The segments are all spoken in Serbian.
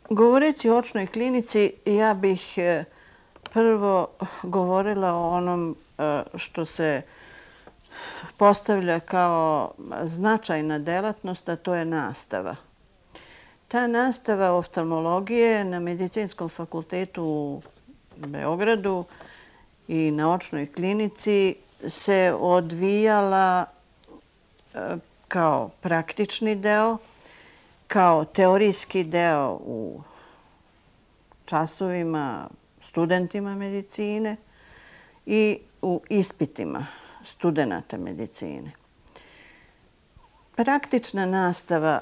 Govoreći o očnoj klinici, ja bih prvo govorila o onom što se postavlja kao značajna delatnost, a to je nastava. Ta nastava oftalmologije na Medicinskom fakultetu u Beogradu i na očnoj klinici se odvijala kao praktični deo, kao teorijski deo u časovima studentima medicine i u ispitima studenata medicine. Praktična nastava,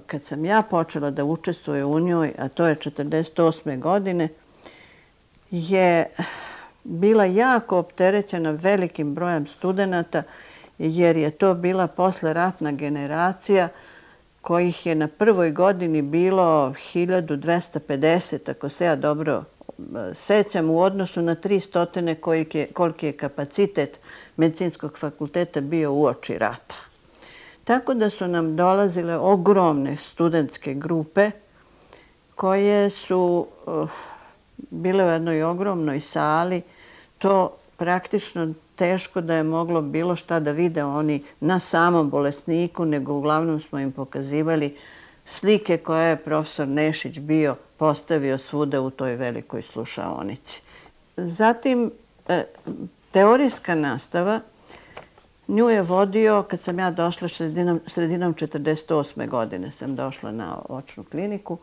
kad sam ja počela da učestvujem u njoj, a to je 1948. godine, je bila jako opterećena velikim brojem studenata, jer je to bila posleratna generacija kojih je na prvoj godini bilo 1250, ako se ja dobro sećam, u odnosu na 300 koliki je kapacitet Medicinskog fakulteta bio uoči rata. Tako da su nam dolazile ogromne studentske grupe koje su bile u jednoj ogromnoj sali. To praktično teško da je moglo bilo šta da vide oni na samom bolesniku, nego uglavnom smo im pokazivali slike koje je profesor Nešić bio postavio svuda u toj velikoj slušaonici. Zatim, teorijska nastava, nju je vodio, kad sam ja došla sredinom 1948. godine, sam došla na očnu kliniku,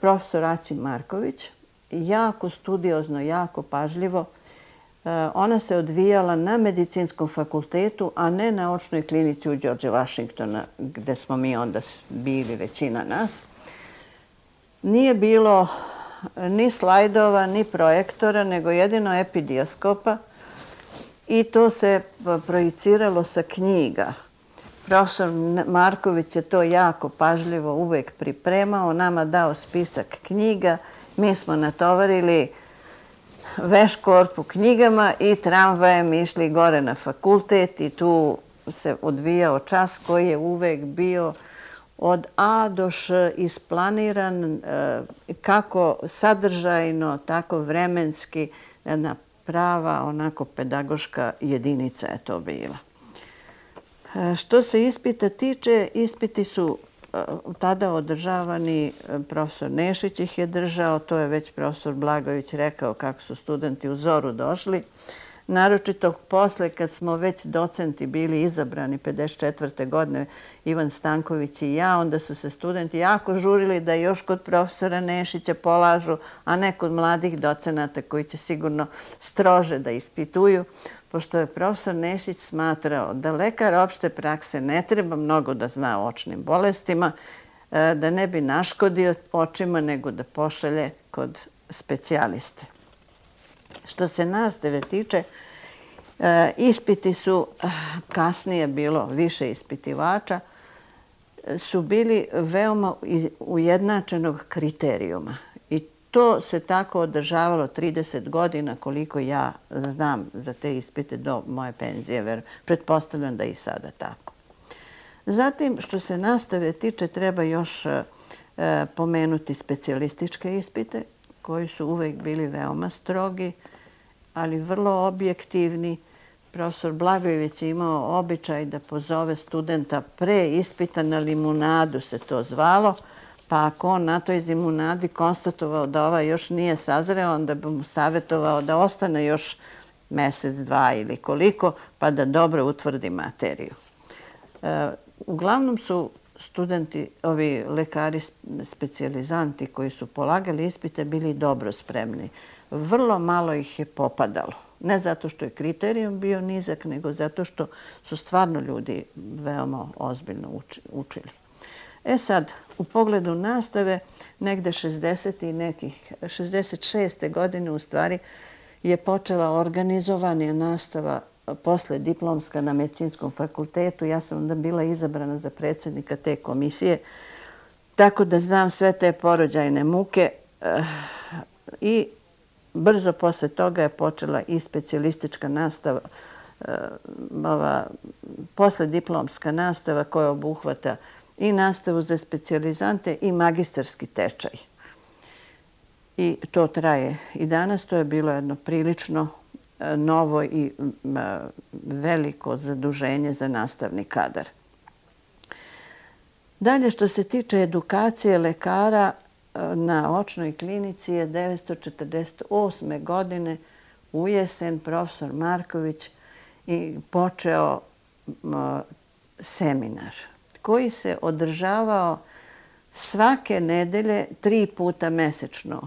profesor Acim Marković, jako studiozno, jako pažljivo. Ona se odvijala na Medicinskom fakultetu, a ne na očnoj klinici u Đorđe Vašingtona, gde smo mi onda bili, većina nas. Nije bilo ni slajdova, ni projektora, nego jedino epidioskopa i to se projiciralo sa knjiga. Profesor Marković je to jako pažljivo uvek pripremao, nama dao spisak knjiga, mi smo natovarili veš-korpu knjigama i tramvajem išli gore na fakultet i tu se odvijao čas koji je uvek bio od A do Š isplaniran, kako sadržajno, tako vremenski, jedna prava, onako pedagoška jedinica je to bila. Što se ispita tiče, ispiti su tada održavani, profesor Nešić ih je držao, to je već profesor Blagojević rekao kako su studenti u zoru došli. Naročito posle kad smo već docenti bili izabrani 54. godine, Ivan Stanković i ja, onda su se studenti jako žurili da još kod profesora Nešića polažu, a ne kod mladih docenata koji će sigurno strože da ispituju, pošto je profesor Nešić smatrao da lekar opšte prakse ne treba mnogo da zna o očnim bolestima, da ne bi naškodio očima, nego da pošalje kod specijaliste. Što se nastave tiče, ispiti su, kasnije bilo više ispitivača, su bili veoma ujednačenog kriterijuma. I to se tako održavalo 30 godina koliko ja znam za te ispite do moje penzije. Pretpostavljam da je i sada tako. Zatim, što se nastave tiče, treba još pomenuti specijalističke ispite koji su uvek bili veoma strogi, ali vrlo objektivni. Profesor Blagojević je imao običaj da pozove studenta pre ispita na limunadu, se to zvalo, pa ako on na toj limunadi konstatovao da ovaj još nije sazreo, onda bi mu savjetovao da ostane još mesec, dva ili koliko, pa da dobro utvrdi materiju. Uglavnom su studenti, ovi lekari specijalizanti koji su polagali ispite, bili dobro spremni. Vrlo malo ih je popadalo. Ne zato što je kriterijum bio nizak, nego zato što su stvarno ljudi veoma ozbiljno učili. Sad, u pogledu nastave, negde 66. godine u stvari je počela organizovana nastava posle diplomska na Medicinskom fakultetu. Ja sam onda bila izabrana za predsjednika te komisije, tako da znam sve te porođajne muke i brzo posle toga je počela i specijalistička nastava, poslediplomska nastava koja obuhvata i nastavu za specijalizante i magistarski tečaj. i to traje i danas. To je bilo jedno prilično novo i veliko zaduženje za nastavni kadar. Dalje, što se tiče edukacije lekara, na očnoj klinici je 1948. godine u jesen profesor Marković i počeo seminar koji se održavao svake nedelje 3 puta mesečno,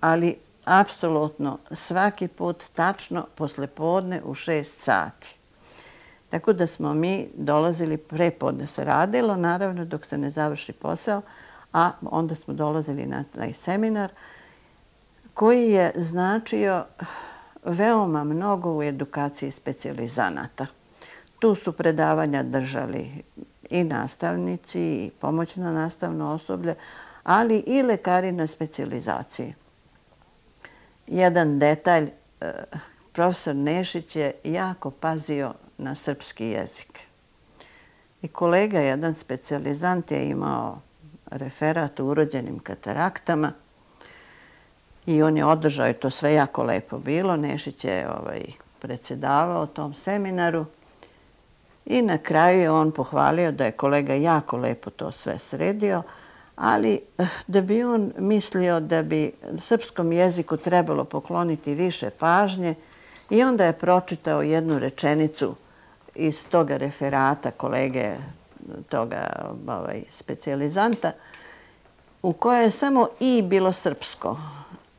ali apsolutno svaki put tačno poslepodne u 6 sati. Tako da smo mi dolazili prepodne se radilo, naravno dok se ne završi posao, a onda smo dolazili na taj seminar koji je značio veoma mnogo u edukaciji specijalizanata. Tu su predavanja držali i nastavnici i pomoćno nastavno osoblje, ali i lekari na specijalizaciji. Jedan detalj, profesor Nešić je jako pazio na srpski jezik. I kolega, jedan specijalizant, je imao referat o urođenim kataraktama i on je održao, i to sve jako lepo bilo. Nešić je predsedavao tom seminaru i na kraju je on pohvalio da je kolega jako lepo to sve sredio, ali da bi on mislio da bi srpskom jeziku trebalo pokloniti više pažnje, i onda je pročitao jednu rečenicu iz toga referata kolege, toga specijalizanta, u kojoj je samo i bilo srpsko,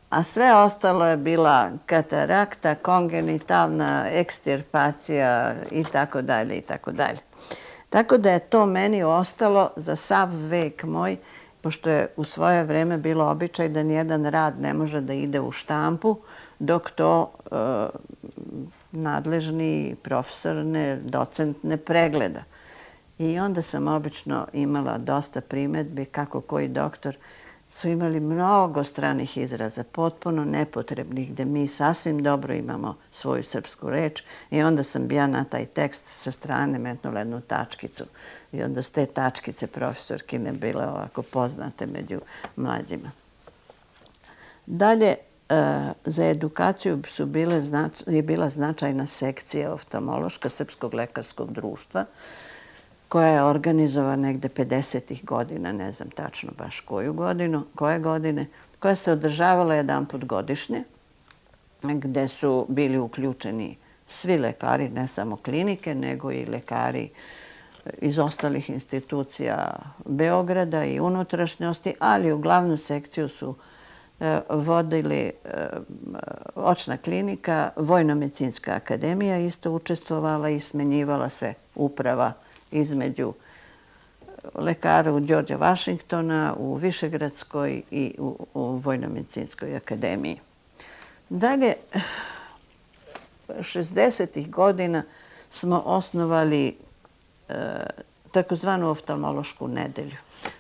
a sve ostalo je bila katarakta, kongenitalna ekstirpacija i tako dalje i tako dalje. Tako da je to meni ostalo za sav vek moj, pošto je u svoje vreme bilo običaj da nijedan rad ne može da ide u štampu dok to nadležni profesor, docent ne pregleda. I onda sam obično imala dosta primedbi kako koji doktor su imali mnogo stranih izraza, potpuno nepotrebnih, gde mi sasvim dobro imamo svoju srpsku reč, i onda sam ja na taj tekst sa strane metnula jednu tačkicu. I onda su te tačkice profesorkine bile ovako poznate među mlađima. Dalje, za edukaciju je bila značajna sekcija oftalmološka Srpskog lekarskog društva, koja je organizovana negde 50. godina, ne znam tačno baš koje godine, koja se održavala jedanput godišnje, gde su bili uključeni svi lekari, ne samo klinike, nego i lekari iz ostalih institucija Beograda i unutrašnjosti, ali u glavnu sekciju su vodili očna klinika, Vojno-medicinska akademija isto učestvovala i smenjivala se uprava između lekara u Đorđa Vašingtona, u Višegradskoj i u Vojno-medicinskoj akademiji. Dalje, 60. godina smo osnovali takozvanu oftalmološku nedelju.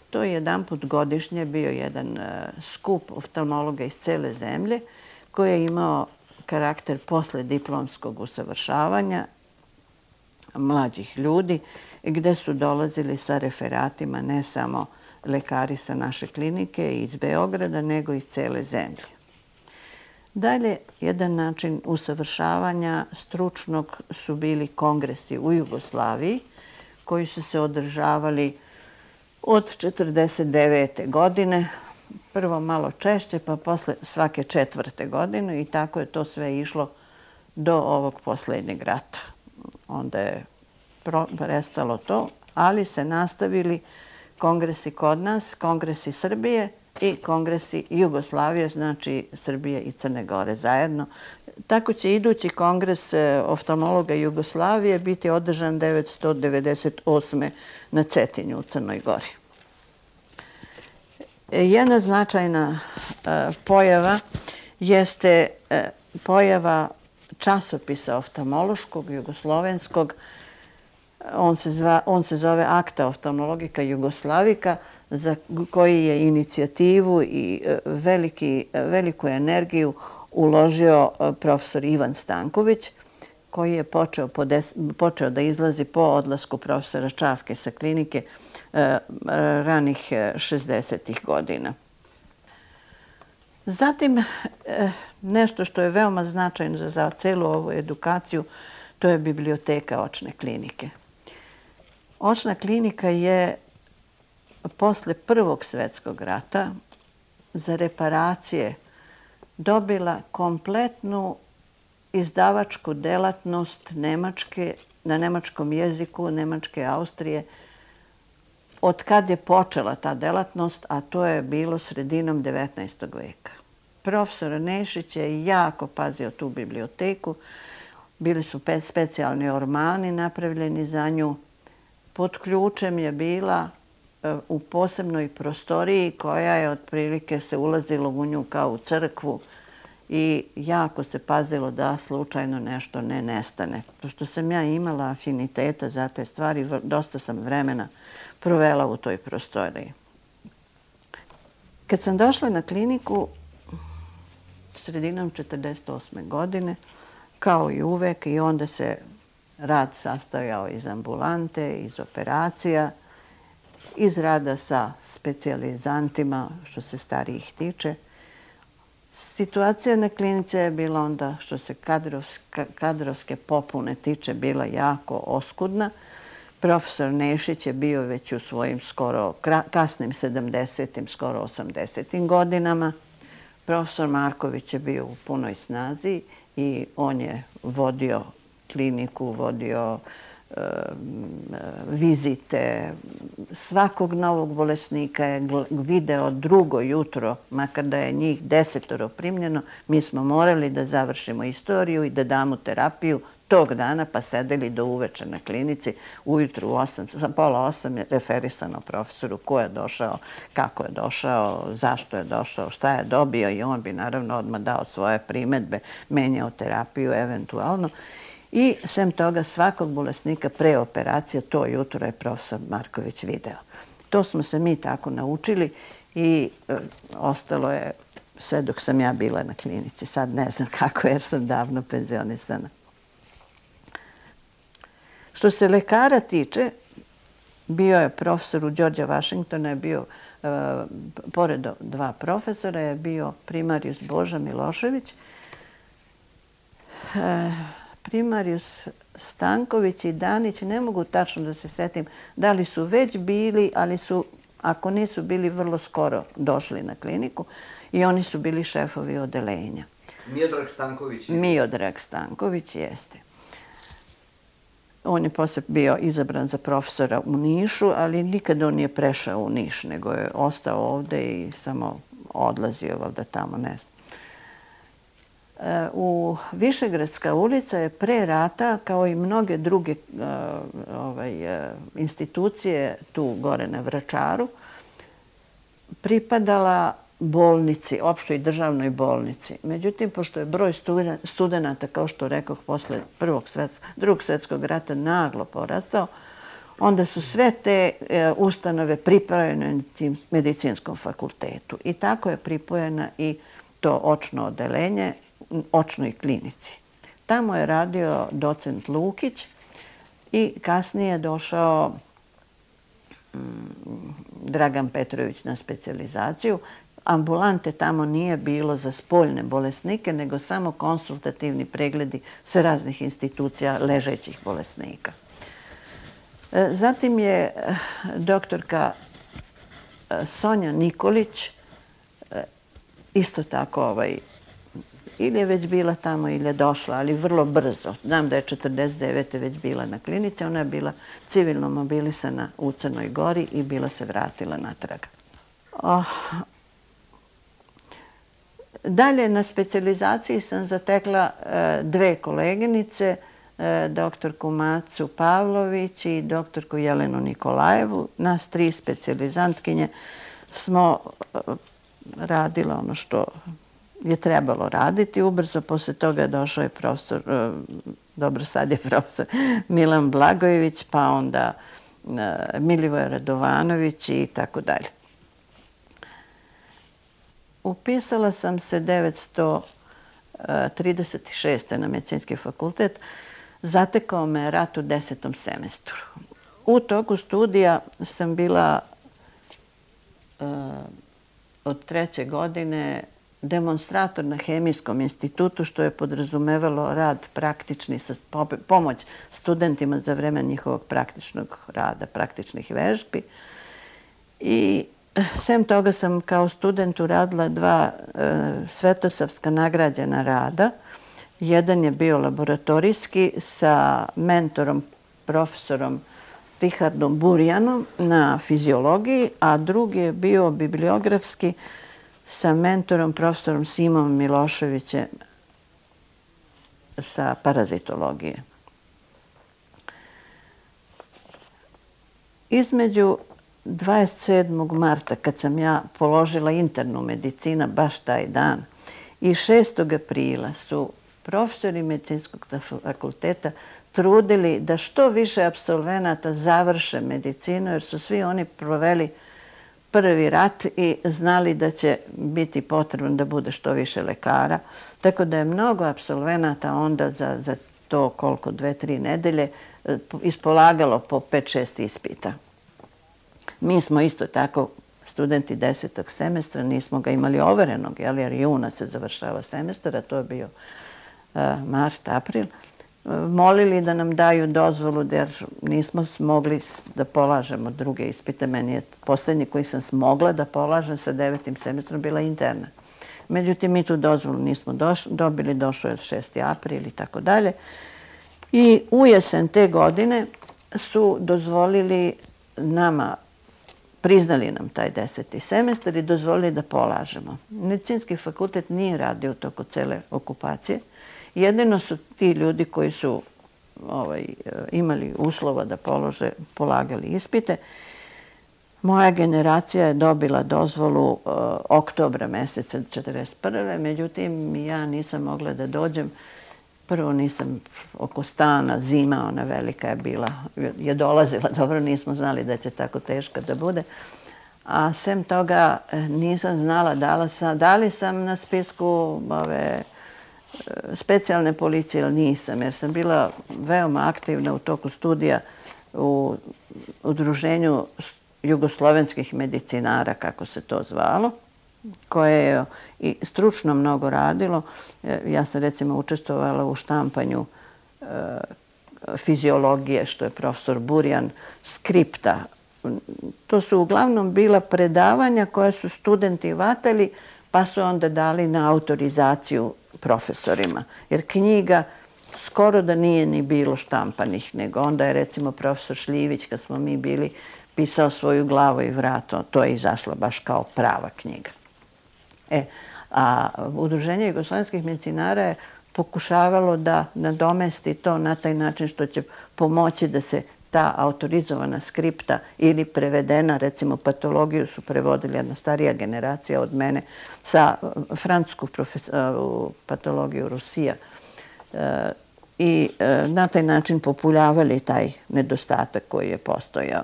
To je jedanput godišnje bio jedan skup oftalmologa iz cele zemlje koji je imao karakter posle diplomskog usavršavanja mlađih ljudi, gde su dolazili sa referatima ne samo lekari sa naše klinike iz Beograda, nego iz cele zemlje. Dalje, jedan način usavršavanja stručnog su bili kongresi u Jugoslaviji, koji su se održavali od 1949. godine, prvo malo češće, pa posle svake 4. godine, i tako je to sve išlo do ovog poslednjeg rata. Onda je prestalo to, ali se nastavili kongresi kod nas, kongresi Srbije i kongresi Jugoslavije, znači Srbije i Crne Gore zajedno. Tako će idući kongres oftalmologa Jugoslavije biti održan 1998. na Cetinju u Crnoj Gori. Jedna značajna pojava jeste pojava časopisa oftalmološkog, jugoslovenskog. On se zove Akta oftalmologika Jugoslavika, za koji je inicijativu i veliku energiju uložio profesor Ivan Stanković, koji je počeo da izlazi po odlasku profesora Čavke sa klinike ranih 60. godina. Zatim, nešto što je veoma značajno za celu ovu edukaciju, to je biblioteka očne klinike. Očna klinika je posle Prvog svjetskog rata za reparacije dobila kompletnu izdavačku delatnost Nemačke, na nemačkom jeziku, Nemačke Austrije, od kad je počela ta delatnost, a to je bilo sredinom 19. veka. Profesor Nešić je jako pazio tu biblioteku, bili su specijalni ormani napravljeni za nju. Pod ključem je bila u posebnoj prostoriji koja je otprilike se ulazilo u nju kao u crkvu i jako se pazilo da slučajno nešto ne nestane. Pošto sam ja imala afiniteta za te stvari, dosta sam vremena provela u toj prostoriji. Kad sam došla na kliniku sredinom 1948. godine, kao i uvek, i onda se rad sastojao iz ambulante, iz operacija, iz rada sa specijalizantima, što se starijih tiče. Situacija na klinici je bila onda, što se kadrovske popune tiče, bila jako oskudna. Profesor Nešić je bio već u svojim skoro kasnim 70. skoro 80. godinama. Profesor Marković je bio u punoj snazi i on je vodio kliniku, vodio vizite. Svakog novog bolesnika je video drugo jutro, makar da je njih 10 primljeno, mi smo morali da završimo istoriju i da damo terapiju tog dana, pa sedeli do uveče na klinici. Ujutru u pola 8 je referisano profesoru ko je došao, kako je došao, zašto je došao, šta je dobio i on bi naravno odmah dao svoje primedbe, menjao terapiju eventualno. I sem toga svakog bolesnika pre operacije to jutro je profesor Marković video. To smo se mi tako naučili i ostalo je sve dok sam ja bila na klinici. Sad ne znam kako jer sam davno penzionisana. Što se lekara tiče, bio je profesor u Đorđa Vašingtona, je bio, pored dva profesora, je bio primarijus Boža Milošević, primarijus Stanković i Danić, ne mogu tačno da se setim da li su već bili, ali su, ako nisu bili, vrlo skoro došli na kliniku i oni su bili šefovi odelenja. Miodrag Stanković? Miodrag Stanković, jeste. On je posle bio izabran za profesora u Nišu, ali nikad on nije prešao u Niš, nego je ostao ovde i samo odlazio valjda tamo, ne znam. U Višegradska ulica je pre rata, kao i mnoge druge institucije tu gore na Vračaru, pripadala bolnici, opštoj državnoj bolnici. Međutim, pošto je broj studenta, kao što rekoh, posle Drugog svjetskog rata naglo porastao, onda su sve te ustanove pripojene medicinskom fakultetu. I tako je pripojena i to očno odelenje očnoj klinici. Tamo je radio docent Lukić i kasnije je došao Dragan Petrović na specijalizaciju. Ambulante tamo nije bilo za spoljne bolesnike, nego samo konsultativni pregledi sa raznih institucija ležećih bolesnika. Zatim je doktorka Sonja Nikolić isto tako ili je već bila tamo ili je došla, ali vrlo brzo. Znam da je 1949. već bila na klinici, ona je bila civilno mobilisana u Crnoj Gori i bila se vratila natrag. Dalje na specijalizaciji sam zatekla dve koleginice, doktorku Macu Pavlović i doktorku Jelenu Nikolajevu. Nas tri specijalizantkinje smo radile ono što je trebalo raditi. Ubrzo posle toga je došao je profesor, dobro sad je profesor Milan Blagojević, pa onda Milivoje Radovanović i tako dalje. Upisala sam se 1936. na medicinski fakultet. Zatekao me rat u 10. semestru. U toku studija sam bila od 3. godine demonstrator na Hemijskom institutu, što je podrazumevalo rad praktični, pomoć studentima za vreme njihovog praktičnog rada, praktičnih vežbi. I sem toga sam kao student uradila 2 svetosavska nagrađena rada. Jedan je bio laboratorijski sa mentorom, profesorom Richardom Burjanom na fiziologiji, a drugi je bio bibliografski sa mentorom, profesorom Simom Miloševićem sa parazitologije. Između 27. marta, kad sam ja položila internu medicina, baš taj dan, i 6. aprila su profesori medicinskog fakulteta trudili da što više apsolvenata završe medicinu, jer su svi oni proveli prvi rat i znali da će biti potrebno da bude što više lekara. Tako da je mnogo apsolvenata onda za to koliko 2-3 nedelje ispolagalo po 5-6 ispita. Mi smo isto tako studenti 10. semestra, nismo ga imali overenog, jer juna se završava semestar, a to je bio mart, april, molili da nam daju dozvolu jer nismo mogli da polažemo druge ispite. Meni je poslednji koji sam mogla da polažem sa 9. semestrom bila interna. Međutim, mi tu dozvolu nismo dobili, došao je 6. april i tako dalje. I u jesen te godine su dozvolili nama, priznali nam taj 10. semestar i dozvolili da polažemo. Medicinski fakultet nije radio u toku cele okupacije. Jedino su ti ljudi koji su imali uslova da polagali ispite. Moja generacija je dobila dozvolu oktobra meseca 1941. Međutim, ja nisam mogla da dođem. Prvo nisam oko stana, zima, ona velika je bila, je dolazila, dobro, nismo znali da će tako teška da bude. A sem toga nisam znala, da li sam na spisku specijalne policije ili nisam, jer sam bila veoma aktivna u toku studija u udruženju jugoslovenskih medicinara, kako se to zvalo, koje je i stručno mnogo radilo. Ja sam recimo učestvovala u štampanju fiziologije, što je profesor Burjan, skripta. To su uglavnom bila predavanja koje su studenti vatali, pa su onda dali na autorizaciju profesorima. Jer knjiga skoro da nije ni bilo štampanih, nego onda je recimo profesor Šljivić, kad smo mi bili, pisao svoju glavu i vrat. To je izašlo baš kao prava knjiga. A Udruženje jugoslovenskih medicinara je pokušavalo da nadomesti to na taj način što će pomoći da se ta autorizovana skripta ili prevedena, recimo patologiju su prevodili jedna starija generacija od mene, sa francusku patologiju Rusija. I na taj način populjavali taj nedostatak koji je postojao.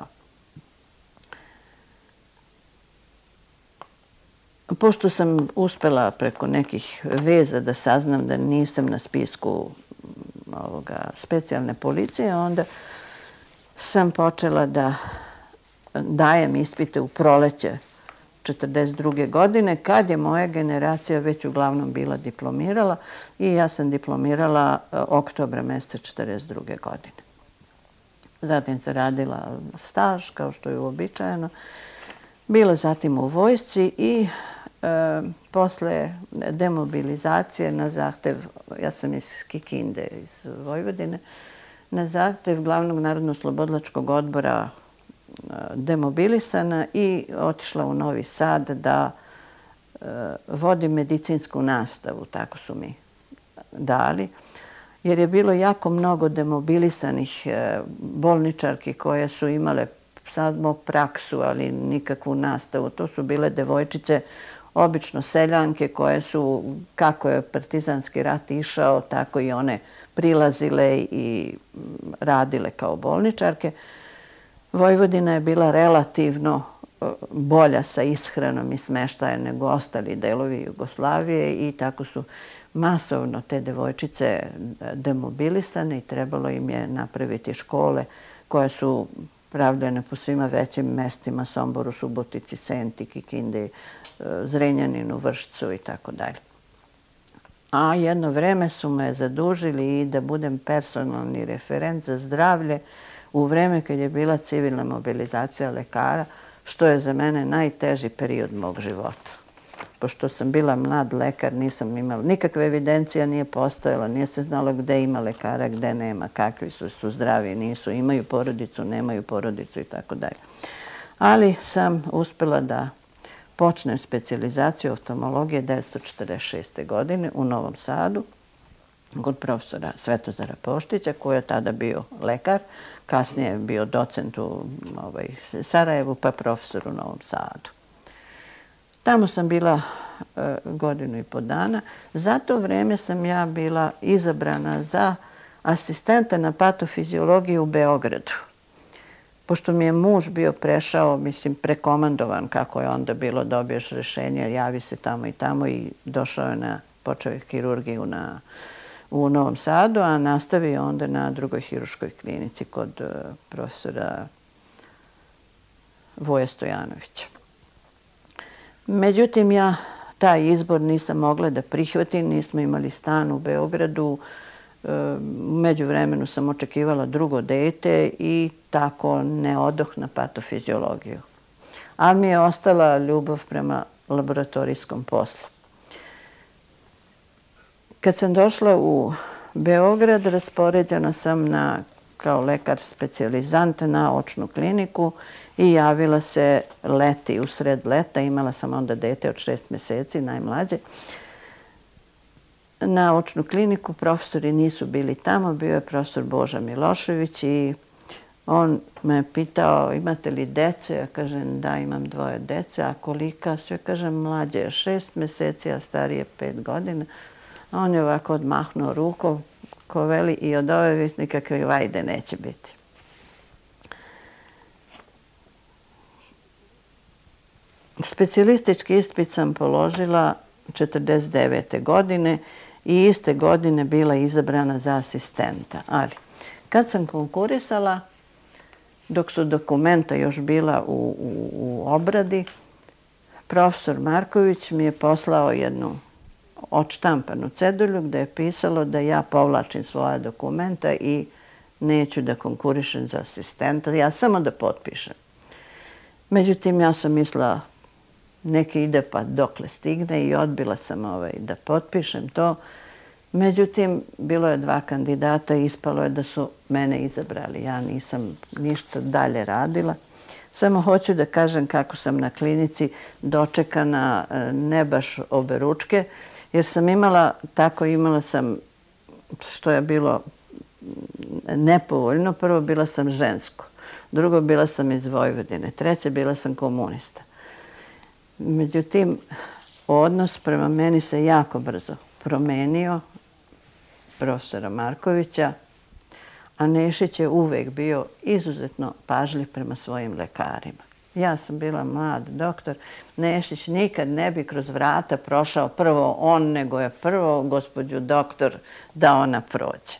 Pošto sam uspela preko nekih veza da saznam da nisam na spisku specijalne policije, onda sam počela da dajem ispite u proleće 1942. godine, kad je moja generacija već uglavnom bila diplomirala i ja sam diplomirala oktobra meseca 1942. godine. Zatim sam radila staž, kao što je uobičajeno, bila zatim u vojsci i posle demobilizacije na zahtev, ja sam iz Kikinde, iz Vojvodine, na zahtev Glavnog narodno-slobodilačkog odbora demobilisana i otišla u Novi Sad da vodim medicinsku nastavu, tako su mi dali, jer je bilo jako mnogo demobilisanih bolničarki koje su imale samo praksu, ali nikakvu nastavu. To su bile devojčice, obično seljanke koje su, kako je partizanski rat išao, tako i one prilazile i radile kao bolničarke. Vojvodina je bila relativno bolja sa ishranom i smeštajem nego ostali delovi Jugoslavije i tako su masovno te devojčice demobilisane i trebalo im je napraviti škole koje su pravljene po svima većim mestima, Somboru, Subotici, Senti, Kikindi, Zrenjaninu, Vršcu i tako dalje. A jedno vreme su me zadužili i da budem personalni referent za zdravlje u vreme kad je bila civilna mobilizacija lekara, što je za mene najteži period mog života. Pošto sam bila mlad lekar, nisam imala nikakve evidencija, nije postojala, nije se znalo gde ima lekara, gde nema, kakvi su zdravi, nisu, imaju porodicu, nemaju porodicu i tako dalje. Ali sam uspela da počnem specijalizaciju oftalmologije 1946. godine u Novom Sadu kod profesora Svetozara Poštića, koji je tada bio lekar, kasnije je bio docent u Sarajevu, pa profesor u Novom Sadu. Tamo sam bila godinu i po dana. Za to vreme sam ja bila izabrana za asistenta na patofiziologiji u Beogradu. Pošto mi je muž bio prešao, mislim, prekomandovan, kako je onda bilo, dobiješ rešenje, javi se tamo i tamo i došao je počeo je hirurgiju u Novom Sadu, a nastavio onda na drugoj hiruškoj klinici kod profesora Voje Stojanovića. Međutim, ja taj izbor nisam mogla da prihvatim, nismo imali stan u Beogradu, u međuvremenu sam očekivala drugo dete i tako ne odoh na patofiziologiju. Ali mi je ostala ljubav prema laboratorijskom poslu. Kad sam došla u Beograd, raspoređena sam kao lekar specijalizant na očnu kliniku i javila se leti, usred leta. Imala sam onda dete od 6 meseci, najmlađe. Na očnu kliniku profesori nisu bili tamo, bio je profesor Boža Milošević i on me pitao imate li dece? Ja kažem da, imam 2 dece, a kolika su? Ja kažem mlađe je 6 meseci, a starije 5 godina. A on je ovako odmahnuo rukom, ko veli i od ove nikakve vajde neće biti. Specijalistički ispit sam položila 1949. godine i iste godine bila izabrana za asistenta. Ali kad sam konkurisala, dok su dokumenta još bila u obradi, profesor Marković mi je poslao jednu odštampanu cedulju gde je pisalo da ja povlačim svoja dokumenta i neću da konkurišem za asistenta, ja samo da potpišem. Međutim, ja sam mislila neki ide pa dokle stigne i odbila sam da potpišem to. Međutim, bilo je 2 kandidata i ispalo je da su mene izabrali. Ja nisam ništa dalje radila. Samo hoću da kažem kako sam na klinici dočekana ne baš oberučke, jer sam imala sam, što je bilo nepovoljno, prvo bila sam žensko, drugo bila sam iz Vojvodine, treće bila sam komunista. Međutim, odnos prema meni se jako brzo promenio, profesora Markovića, a Nešić je uvek bio izuzetno pažljiv prema svojim lekarima. Ja sam bila mlad doktor, Nešić nikad ne bi kroz vrata prošao prvo on, nego je prvo gospođu doktor da ona prođe.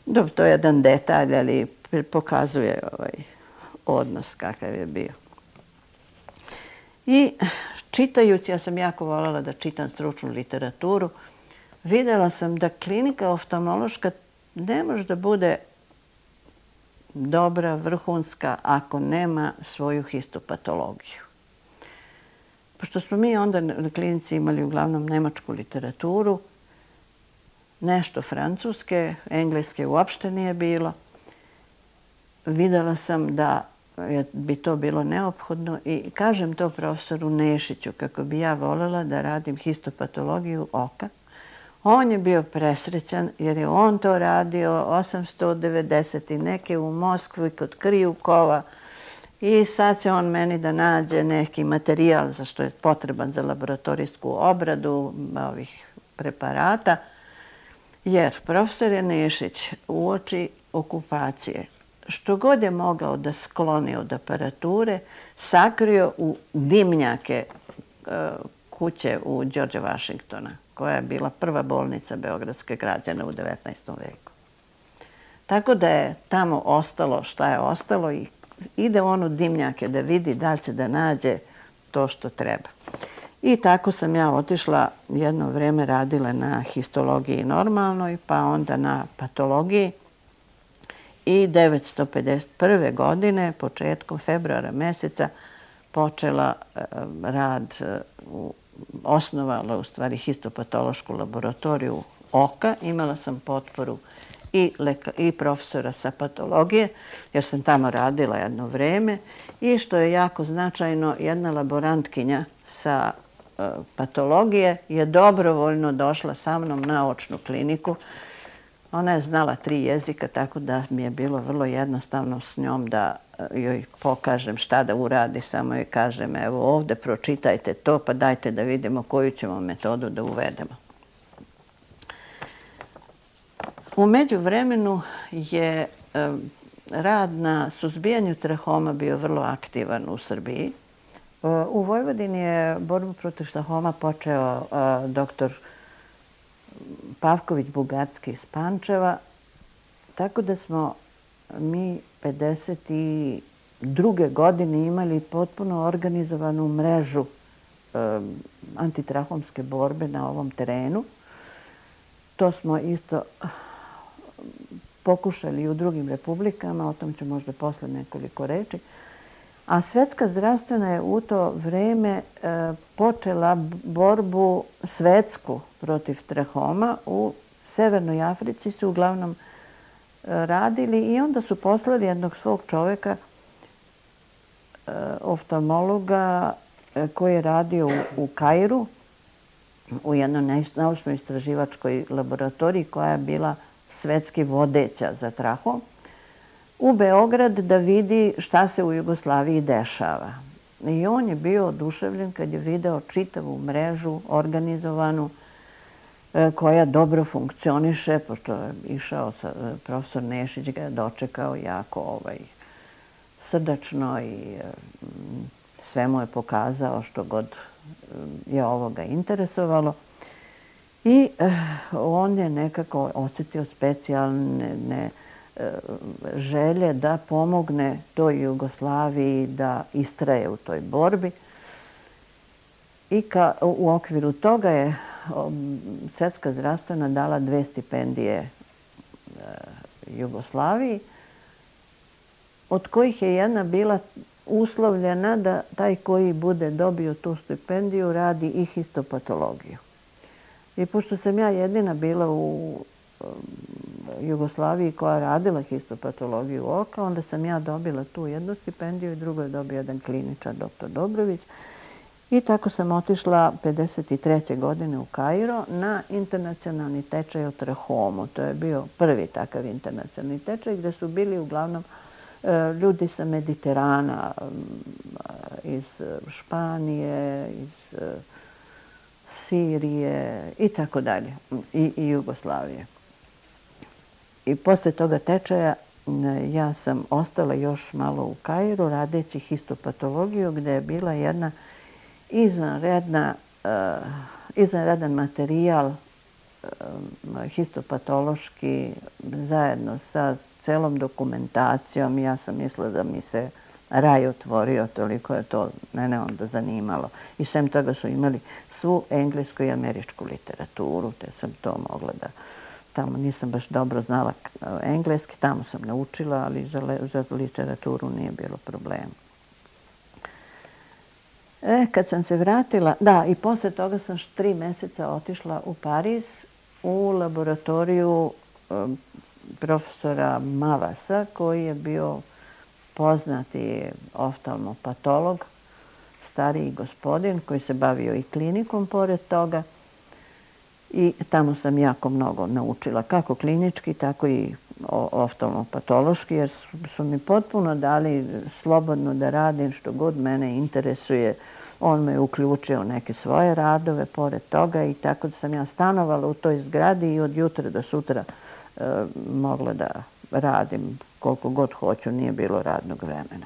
Dobro, to je jedan detalj, ali pokazuje odnos kakav je bio. I čitajući, ja sam jako voljela da čitam stručnu literaturu, videla sam da klinika oftalmološka ne može da bude dobra, vrhunska, ako nema svoju histopatologiju. Pošto smo mi onda na klinici imali uglavnom nemačku literaturu, nešto francuske, engleske uopšte nije bilo, videla sam da bi to bilo neophodno i kažem to profesoru Nešiću kako bi ja voljela da radim histopatologiju oka. On je bio presrećan jer je on to radio 890 i neke u Moskvi kod Krijukova i sad će on meni da nađe neki materijal za što je potreban za laboratorijsku obradu ovih preparata. Jer profesor je Nešić uoči okupacije što god je mogao da skloni od aparature, sakrio u dimnjake kuće u Đorđa Vašingtona, koja je bila prva bolnica beogradske građana u 19. veku. Tako da je tamo ostalo šta je ostalo i ide u onu dimnjake da vidi da li će da nađe to što treba. I tako sam ja otišla, jedno vreme radila na histologiji normalnoj, pa onda na patologiji. I 1951. godine, početkom februara meseca, počela rad, osnovala u stvari histopatološku laboratoriju oka. Imala sam potporu i profesora sa patologije, jer sam tamo radila jedno vreme. I što je jako značajno, jedna laborantkinja sa patologije je dobrovoljno došla sa mnom na očnu kliniku. Ona je znala 3 jezika, tako da mi je bilo vrlo jednostavno s njom da joj pokažem šta da uradi. Samo joj kažem, evo ovde pročitajte to, pa dajte da vidimo koju ćemo metodu da uvedemo. U međuvremenu je rad na suzbijanju trahoma bio vrlo aktivan u Srbiji. U Vojvodini je borbu protiv trahoma počeo doktor Pavković-Bugarski iz Pančeva, tako da smo mi 52. godine imali potpuno organizovanu mrežu antitrahomske borbe na ovom terenu. To smo isto pokušali u drugim republikama, o tom ću možda posle nekoliko reči. A Svetska zdravstvena je u to vreme počela borbu svetsku protiv trahoma. U Severnoj Africi su uglavnom radili i onda su poslali jednog svog čoveka, oftalmologa, koji je radio u Kairu, u jednoj naučno-istraživačkoj laboratoriji koja je bila svetski vodeća za trahom, u Beograd da vidi šta se u Jugoslaviji dešava. I on je bio oduševljen kad je video čitavu mrežu organizovanu koja dobro funkcioniše, pošto je išao profesor Nešić, ga je dočekao jako srdačno i sve mu je pokazao što god je ovoga interesovalo. I on je nekako osjetio specijalne želje da pomogne toj Jugoslaviji da istraje u toj borbi. I u okviru toga je Svetska zdravstvena dala 2 stipendije Jugoslaviji, od kojih je jedna bila uslovljena da taj koji bude dobio tu stipendiju radi i histopatologiju. I pošto sam ja jedina bila u Jugoslaviji koja radila histopatologiju oka, onda sam ja dobila tu jednu stipendiju i drugo je dobio jedan kliničar, doktor Dobrović. I tako sam otišla 1953. godine u Kairo na internacionalni tečaj o trahomu. To je bio prvi takav internacionalni tečaj gde su bili uglavnom ljudi sa Mediterana, iz Španije, iz Sirije i tako dalje, i Jugoslavije. I posle toga tečaja ja sam ostala još malo u Kairu radeći histopatologiju gde je bila jedna izvanredan materijal histopatološki zajedno sa celom dokumentacijom. Ja sam mislila da mi se raj otvorio, toliko je to mene onda zanimalo. I sem toga su imali svu englesku i američku literaturu, te sam to mogla da... Tamo nisam baš dobro znala engleski, tamo sam naučila, ali za literaturu nije bilo problema. Kad sam se vratila, da, i posle toga sam 3 meseca otišla u Pariz u laboratoriju profesora Mavasa, koji je bio poznati oftalmopatolog, stariji gospodin koji se bavio i klinikom pored toga. I tamo sam jako mnogo naučila, kako klinički, tako i oftalmopatološki, jer su mi potpuno dali slobodno da radim što god mene interesuje. On me uključio u neke svoje radove pored toga i tako da sam ja stanovala u toj zgradi i od jutra do sutra mogla da radim koliko god hoću, nije bilo radnog vremena.